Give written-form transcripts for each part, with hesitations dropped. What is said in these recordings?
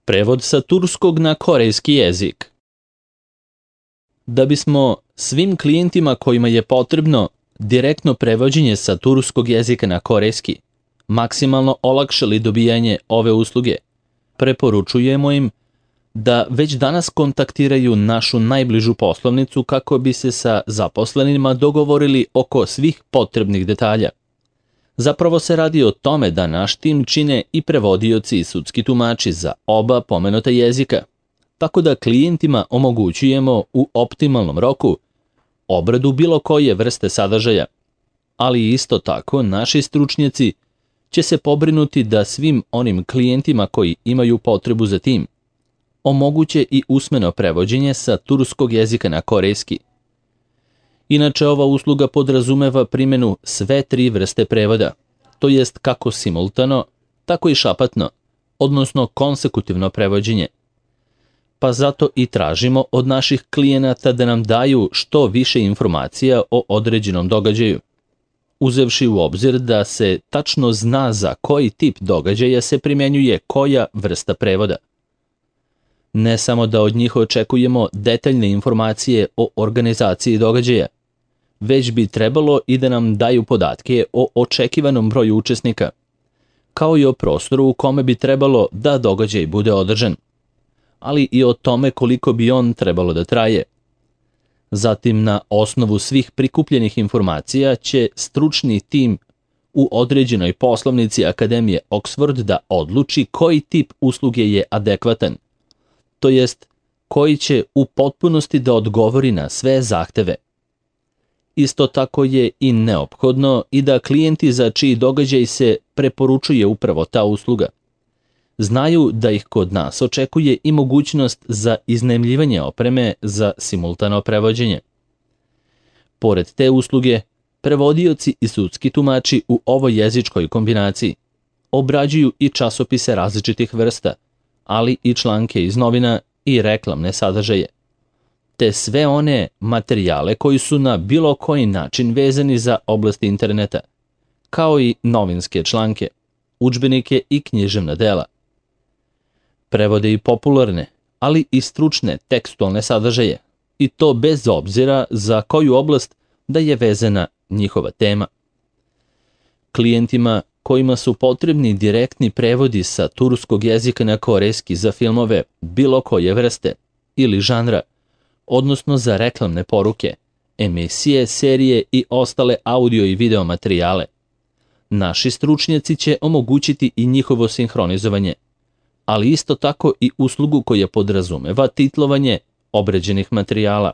Prevod sa turskog na korejski jezik. Da bismo svim klijentima kojima je potrebno direktno prevođenje sa turskog jezika na korejski maksimalno olakšali dobijanje ove usluge, preporučujemo im da već danas kontaktiraju našu najbližu poslovnicu kako bi se sa zaposlenima dogovorili oko svih potrebnih detalja. Zapravo se radi o tome da naš tim čine i prevodioci i sudski tumači za oba pomenuta jezika, tako da klijentima omogućujemo u optimalnom roku obradu bilo koje vrste sadržaja, ali isto tako naši stručnjaci će se pobrinuti da svim onim klijentima koji imaju potrebu za tim omoguće i usmeno prevođenje sa turskog jezika na korejski. Inače, ova usluga podrazumeva primjenu sve tri vrste prevoda, to jest kako simultano, tako i šapatno, odnosno konsekutivno prevođenje. Pa zato i tražimo od naših klijenata da nam daju što više informacija o određenom događaju, uzevši u obzir da se tačno zna za koji tip događaja se primjenjuje koja vrsta prevoda. Ne samo da od njih očekujemo detaljne informacije o organizaciji događaja, već bi trebalo i da nam daju podatke o očekivanom broju učesnika, kao i o prostoru u kome bi trebalo da događaj bude održan, ali i o tome koliko bi on trebalo da traje. Zatim, na osnovu svih prikupljenih informacija će stručni tim u određenoj poslovnici Akademije Oxford da odluči koji tip usluge je adekvatan, to jest koji će u potpunosti da odgovori na sve zahteve. Isto tako je i neophodno i da klijenti za čiji događaj se preporučuje upravo ta usluga znaju da ih kod nas očekuje i mogućnost za iznajmljivanje opreme za simultano prevođenje. Pored te usluge, prevodioci i sudski tumači u ovoj jezičkoj kombinaciji obrađuju i časopise različitih vrsta, ali i članke iz novina i reklamne sadržaje, te sve one materijale koji su na bilo koji način vezani za oblast interneta, kao i novinske članke, udžbenike i književna dela. Prevode i popularne, ali i stručne tekstualne sadržaje, i to bez obzira za koju oblast da je vezana njihova tema. Klijentima kojima su potrebni direktni prevodi sa turskog jezika na korejski za filmove bilo koje vrste ili žanra, odnosno za reklamne poruke, emisije, serije i ostale audio i video materijale, naši stručnjaci će omogućiti i njihovo sinhronizovanje, ali isto tako i uslugu koja podrazumeva titlovanje obrađenih materijala.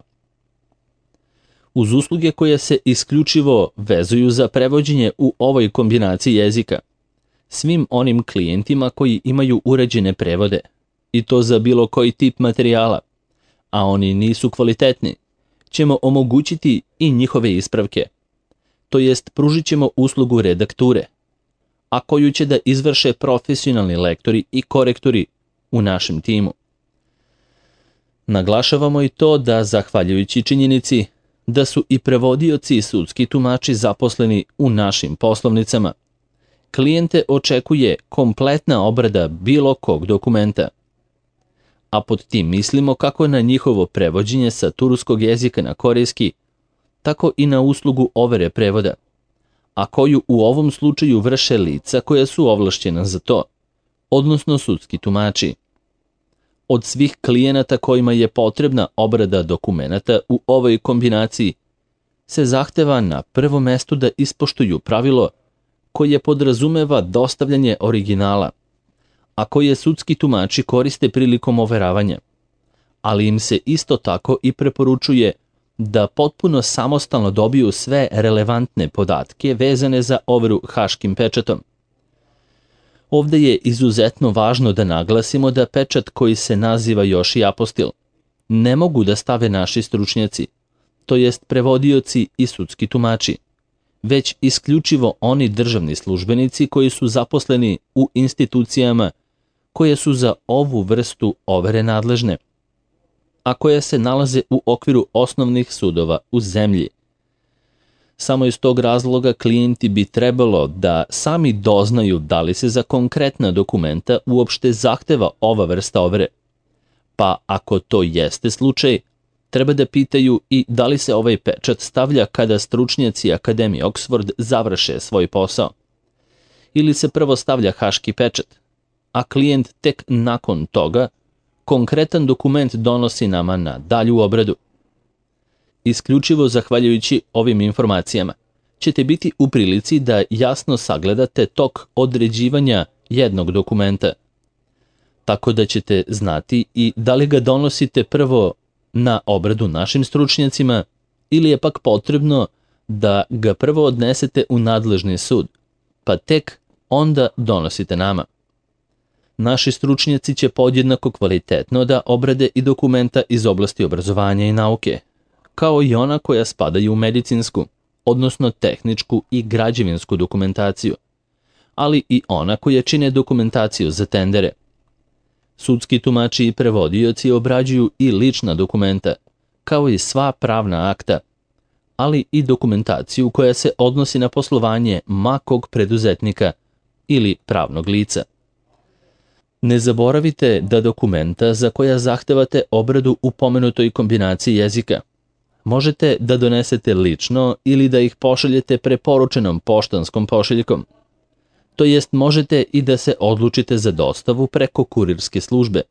Uz usluge koje se isključivo vezuju za prevođenje u ovoj kombinaciji jezika, svim onim klijentima koji imaju uređene prevode, i to za bilo koji tip materijala, a oni nisu kvalitetni, ćemo omogućiti i njihove ispravke, to jest pružit ćemo uslugu redakture, a koju će da izvrše profesionalni lektori i korektori u našem timu. Naglašavamo i to da, zahvaljujući činjenici da su i prevodioci i sudski tumači zaposleni u našim poslovnicama, klijente očekuje kompletna obrada bilo kog dokumenta. A pod tim mislimo kako na njihovo prevođenje sa turskog jezika na korejski, tako i na uslugu overe prevoda, a koju u ovom slučaju vrše lica koja su ovlašćena za to, odnosno sudski tumači. Od svih klijenata kojima je potrebna obrada dokumenata u ovoj kombinaciji se zahteva na prvom mestu da ispoštuju pravilo koje podrazumeva dostavljanje originala, a koje sudski tumači koriste prilikom overavanja, ali im se isto tako i preporučuje da potpuno samostalno dobiju sve relevantne podatke vezane za overu haškim pečatom. Ovde je izuzetno važno da naglasimo da pečat koji se naziva još i apostil ne mogu da stave naši stručnjaci, to jest prevodioci i sudski tumači, već isključivo oni državni službenici koji su zaposleni u institucijama koje su za ovu vrstu overe nadležne, a koje se nalaze u okviru osnovnih sudova u zemlji. Samo iz tog razloga klijenti bi trebalo da sami doznaju da li se za konkretna dokumenta uopšte zahteva ova vrsta overe. Pa ako to jeste slučaj, treba da pitaju i da li se ovaj pečat stavlja kada stručnjaci Akademije Oxford završe svoj posao. Ili se prvo stavlja haški pečat, a klijent tek nakon toga konkretan dokument donosi nama na dalju obradu. Isključivo zahvaljujući ovim informacijama ćete biti u prilici da jasno sagledate tok određivanja jednog dokumenta, tako da ćete znati i da li ga donosite prvo na obradu našim stručnjacima ili je pak potrebno da ga prvo odnesete u nadležni sud, pa tek onda donosite nama. Naši stručnjaci će podjednako kvalitetno da obrade i dokumenta iz oblasti obrazovanja i nauke, kao i ona koja spadaju u medicinsku, odnosno tehničku i građevinsku dokumentaciju, ali i ona koja čine dokumentaciju za tendere. Sudski tumači i prevodioci obrađuju i lična dokumenta, kao i sva pravna akta, ali i dokumentaciju koja se odnosi na poslovanje makog preduzetnika ili pravnog lica. Ne zaboravite da dokumenta za koja zahtevate obradu u pomenutoj kombinaciji jezika možete da donesete lično ili da ih pošaljete preporučenom poštanskom pošiljkom. To jest možete i da se odlučite za dostavu preko kurirske službe,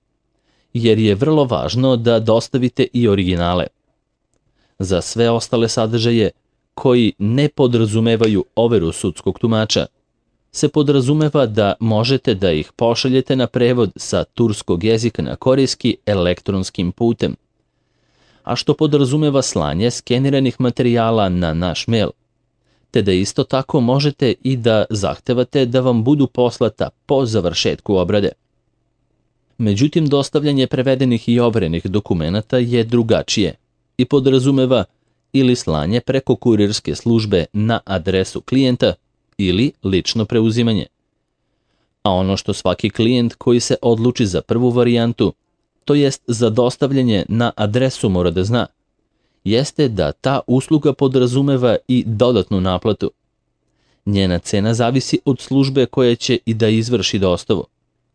jer je vrlo važno da dostavite i originale. Za sve ostale sadržaje koji ne podrazumevaju overu sudskog tumača, se podrazumeva da možete da ih pošaljete na prevod sa turskog jezika na korejski elektronskim putem, a što podrazumeva slanje skeniranih materijala na naš mail, te da isto tako možete i da zahtevate da vam budu poslata po završetku obrade. Međutim, dostavljanje prevedenih i overenih dokumenata je drugačije i podrazumeva ili slanje preko kurirske službe na adresu klijenta ili lično preuzimanje. A ono što svaki klijent koji se odluči za prvu varijantu, to jest za dostavljanje na adresu mora da zna, jeste da ta usluga podrazumeva i dodatnu naplatu. Njena cena zavisi od službe koja će i da izvrši dostavu,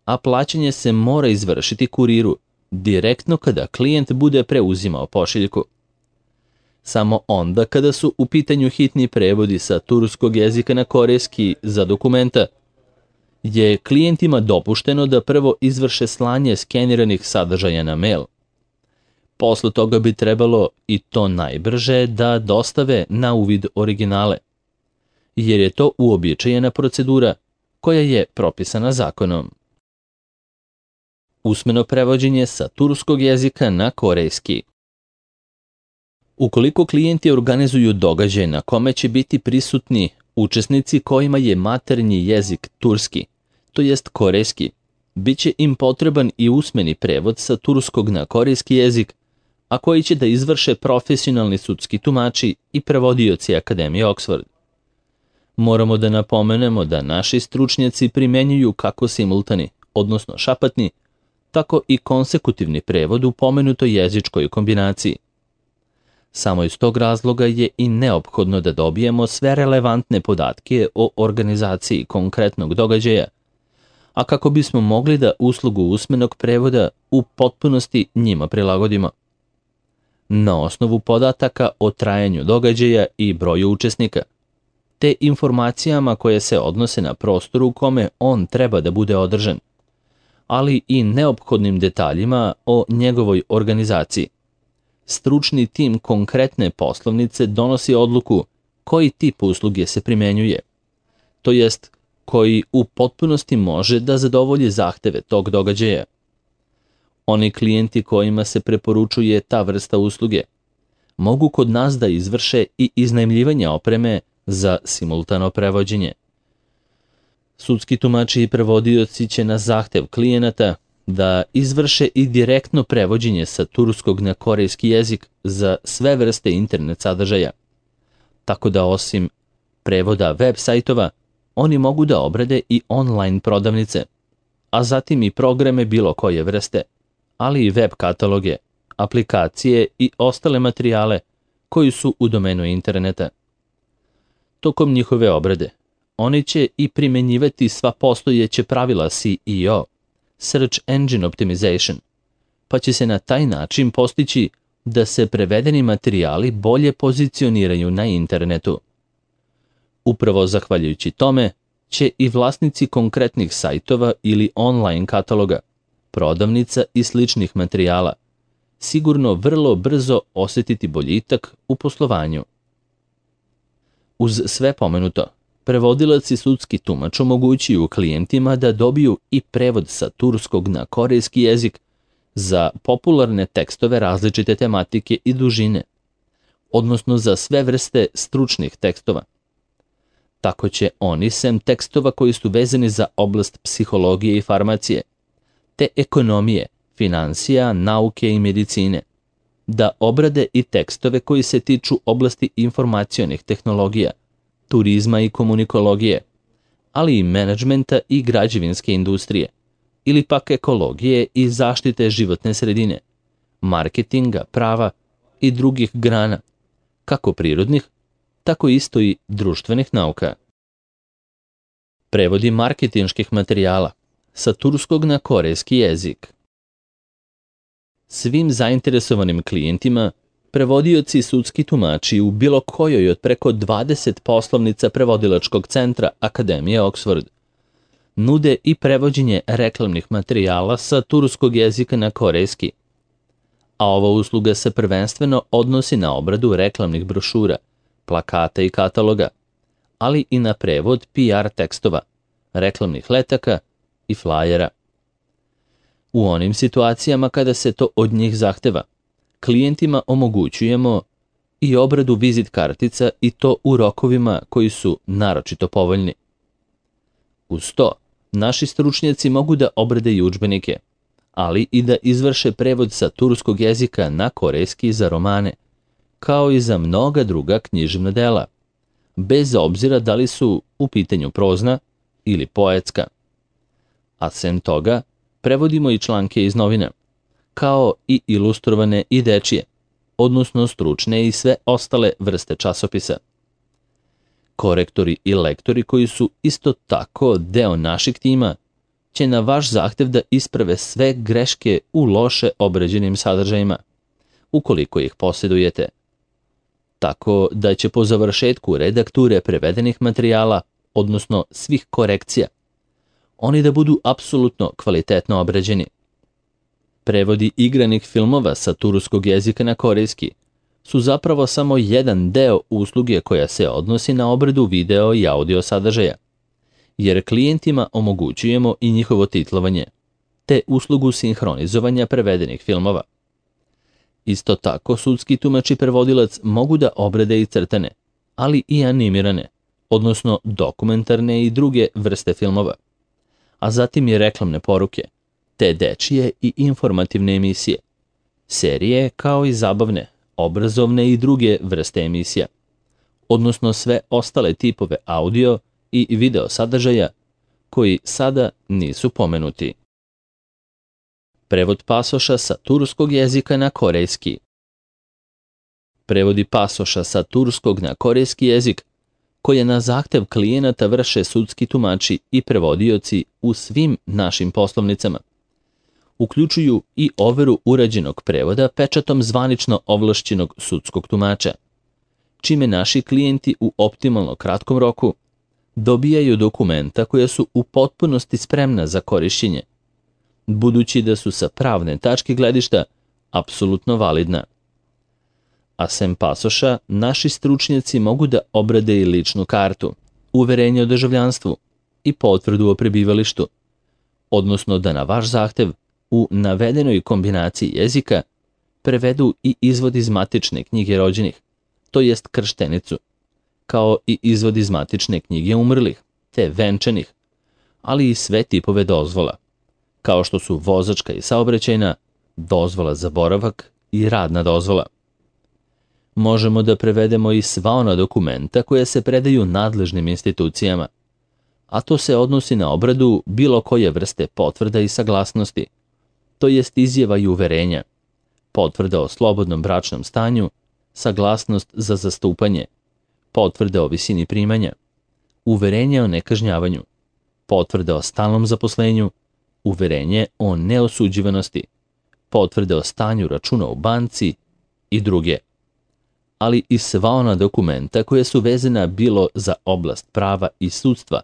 a plaćanje se mora izvršiti kuriru direktno kada klijent bude preuzimao pošiljku. Samo onda kada su u pitanju hitni prevodi sa turskog jezika na korejski za dokumenta, je klijentima dopušteno da prvo izvrše slanje skeniranih sadržaja na mail. Posle toga bi trebalo, i to najbrže, da dostave na uvid originale, jer je to uobičajena procedura koja je propisana zakonom. Usmeno prevođenje sa turskog jezika na korejski. Ukoliko klijenti organizuju događaj na kome će biti prisutni učesnici kojima je maternji jezik turski, to jest korejski, bit će im potreban i usmeni prevod sa turskog na korejski jezik, a koji će da izvrše profesionalni sudski tumači i prevodioci Akademije Oxford. Moramo da napomenemo da naši stručnjaci primenjuju kako simultani, odnosno šapatni, tako i konsekutivni prevod u pomenutoj jezičkoj kombinaciji. Samo iz tog razloga je i neophodno da dobijemo sve relevantne podatke o organizaciji konkretnog događaja, a kako bismo mogli da uslugu usmenog prevoda u potpunosti njima prilagodimo. Na osnovu podataka o trajanju događaja i broju učesnika, te informacijama koje se odnose na prostor u kome on treba da bude održan, ali i neophodnim detaljima o njegovoj organizaciji. Stručni tim konkretne poslovnice donosi odluku koji tip usluge se primenjuje, to jest koji u potpunosti može da zadovolji zahteve tog događaja. Oni klijenti kojima se preporučuje ta vrsta usluge mogu kod nas da izvrše i iznajmljivanje opreme za simultano prevođenje. Sudski tumači i prevodioci će na zahtev klijenata da izvrše i direktno prevođenje sa turskog na korejski jezik za sve vrste internet sadržaja. Tako da osim prevoda web sajtova, oni mogu da obrade i online prodavnice, a zatim i programe bilo koje vrste, ali i web kataloge, aplikacije i ostale materijale koji su u domenu interneta. tokom njihove obrade. Oni će i primenjivati sva postojeća pravila SEO, Search Engine Optimization, pa će se na taj način postići da se prevedeni materijali bolje pozicioniraju na internetu. Upravo zahvaljujući tome će i vlasnici konkretnih sajtova ili online kataloga, prodavnica i sličnih materijala sigurno vrlo brzo osjetiti boljitak u poslovanju. Uz sve pomenuto, prevodilac i sudski tumač omogućuju klijentima da dobiju i prevod sa turskog na korejski jezik za popularne tekstove različite tematike i dužine, odnosno za sve vrste stručnih tekstova. Tako će oni, sem tekstova koji su vezani za oblast psihologije i farmacije, te ekonomije, finansija, nauke i medicine, da obrade i tekstove koji se tiču oblasti informacionih tehnologija, turizma i komunikologije, ali i menadžmenta i građevinske industrije, ili pak ekologije i zaštite životne sredine, marketinga, prava i drugih grana, kako prirodnih, tako isto i društvenih nauka. Prevodi marketinških materijala sa turskog na korejski jezik. Svim zainteresovanim klijentima prevodioci i sudski tumači u bilo kojoj od preko 20 poslovnica prevodilačkog centra Akademije Oxford nude i prevođenje reklamnih materijala sa turskog jezika na korejski, a ova usluga se prvenstveno odnosi na obradu reklamnih brošura, plakata i kataloga, ali i na prevod PR tekstova, reklamnih letaka i flajera. U onim situacijama kada se to od njih zahteva, klijentima omogućujemo i obradu vizit kartica i to u rokovima koji su naročito povoljni. Uz to, naši stručnjaci mogu da obrade i udžbenike, ali i da izvrše prevod sa turskog jezika na korejski za romane, kao i za mnoga druga književna dela, bez obzira da li su u pitanju prozna ili poetska. A sem toga, prevodimo i članke iz novina, kao i ilustrovane i dečije, odnosno stručne i sve ostale vrste časopisa. Korektori i lektori koji su isto tako deo našeg tima će na vaš zahtev da isprave sve greške u loše obrađenim sadržajima, ukoliko ih posjedujete. Tako da će po završetku redakture prevedenih materijala, odnosno svih korekcija, oni da budu apsolutno kvalitetno obrađeni. Prevodi igranih filmova sa turskog jezika na korejski su zapravo samo jedan deo usluge koja se odnosi na obradu video i audio sadržaja, jer klijentima omogućujemo i njihovo titlovanje, te uslugu sinhronizovanja prevedenih filmova. Isto tako, sudski tumač i prevodilac mogu da obrade i crtane, ali i animirane, odnosno dokumentarne i druge vrste filmova, a zatim i reklamne poruke, te dečije i informativne emisije, serije kao i zabavne, obrazovne i druge vrste emisija, odnosno sve ostale tipove audio i video sadržaja koji sada nisu pomenuti. Prevod pasoša sa turskog jezika na korejski. Prevodi pasoša sa turskog na korejski jezik koje na zahtev klijenata vrše sudski tumači i prevodioci u svim našim poslovnicama, uključuju i overu urađenog prevoda pečatom zvanično ovlašćenog sudskog tumača, čime naši klijenti u optimalno kratkom roku dobijaju dokumenta koja su u potpunosti spremna za korišćenje, budući da su sa pravne tačke gledišta apsolutno validna. A sem pasoša, naši stručnjaci mogu da obrade i ličnu kartu, uverenje o državljanstvu i potvrdu o prebivalištu, odnosno da na vaš zahtev u navedenoj kombinaciji jezika prevedu i izvod iz matične knjige rođenih, to jest krštenicu, kao i izvod iz matične knjige umrlih, te venčanih, ali i sve tipove dozvola, kao što su vozačka i saobraćajna, dozvola za boravak i radna dozvola. Možemo da prevedemo i sva ona dokumenta koja se predaju nadležnim institucijama, a to se odnosi na obradu bilo koje vrste potvrda i saglasnosti, to jest izjava i uverenja, potvrda o slobodnom bračnom stanju, saglasnost za zastupanje, potvrde o visini primanja, uverenje o nekažnjavanju, potvrde o stalnom zaposlenju, uverenje o neosuđivanosti, potvrde o stanju računa u banci i druge, ali i sva ona dokumenta koja su vezana bilo za oblast prava i sudstva,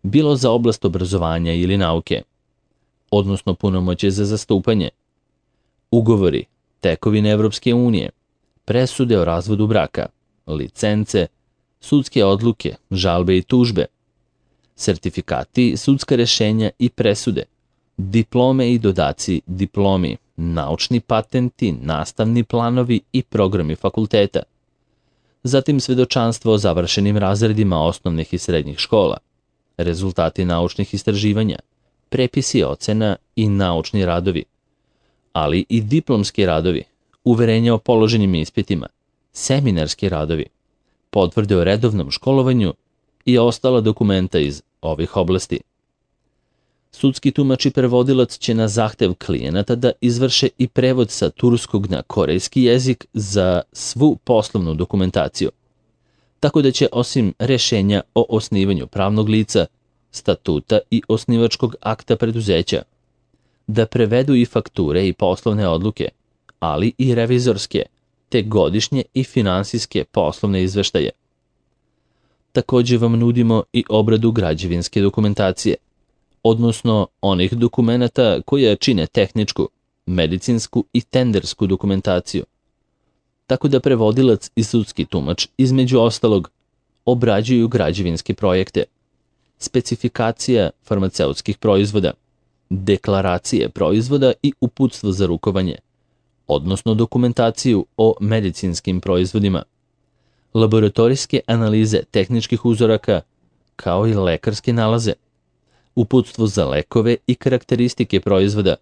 bilo za oblast obrazovanja ili nauke, odnosno punomoćje za zastupanje, ugovori, tekovine Evropske unije, presude o razvodu braka, licence, sudske odluke, žalbe i tužbe, sertifikati, sudska rešenja i presude, diplome i dodaci diplomi, naučni patenti, nastavni planovi i programi fakulteta, zatim svedočanstvo o završenim razredima osnovnih i srednjih škola, rezultati naučnih istraživanja, prepisi ocena i naučni radovi, ali i diplomski radovi, uverenja o položenim ispitima, seminarski radovi, potvrde o redovnom školovanju i ostala dokumenta iz ovih oblasti. Sudski tumač i prevodilac će na zahtev klijenata da izvrše i prevod sa turskog na korejski jezik za svu poslovnu dokumentaciju, tako da će osim rešenja o osnivanju pravnog lica, statuta i osnivačkog akta preduzeća, da prevedu i fakture i poslovne odluke, ali i revizorske, te godišnje i finansijske poslovne izveštaje. Takođe vam nudimo i obradu građevinske dokumentacije, odnosno onih dokumenata koja čine tehničku, medicinsku i tendersku dokumentaciju. Tako da prevodilac i sudski tumač, između ostalog, obrađuju građevinske projekte, specifikacija farmaceutskih proizvoda, deklaracije proizvoda i uputstvo za rukovanje, odnosno dokumentaciju o medicinskim proizvodima, laboratorijske analize tehničkih uzoraka, kao i lekarske nalaze, uputstvo za lekove i karakteristike proizvoda,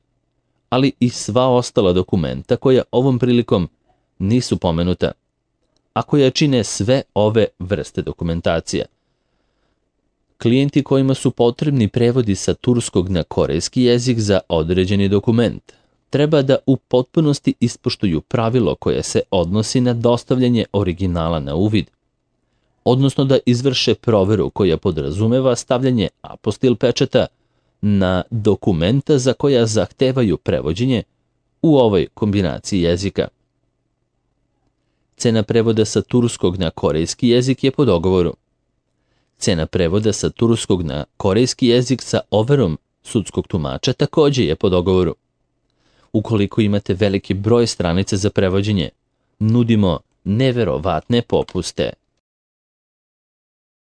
ali i sva ostala dokumenta koja ovom prilikom nisu pomenuta, a koja čine sve ove vrste dokumentacija. Klijenti kojima su potrebni prevodi sa turskog na korejski jezik za određeni dokument treba da u potpunosti ispoštuju pravilo koje se odnosi na dostavljanje originala na uvid, odnosno da izvrše proveru koja podrazumeva stavljanje apostil pečata na dokumenta za koja zahtevaju prevođenje u ovoj kombinaciji jezika. Cena prevoda sa turskog na korejski jezik je po dogovoru. Cena prevoda sa turskog na korejski jezik sa overom sudskog tumača takođe je po dogovoru. Ukoliko imate veliki broj stranica za prevođenje, nudimo neverovatne popuste.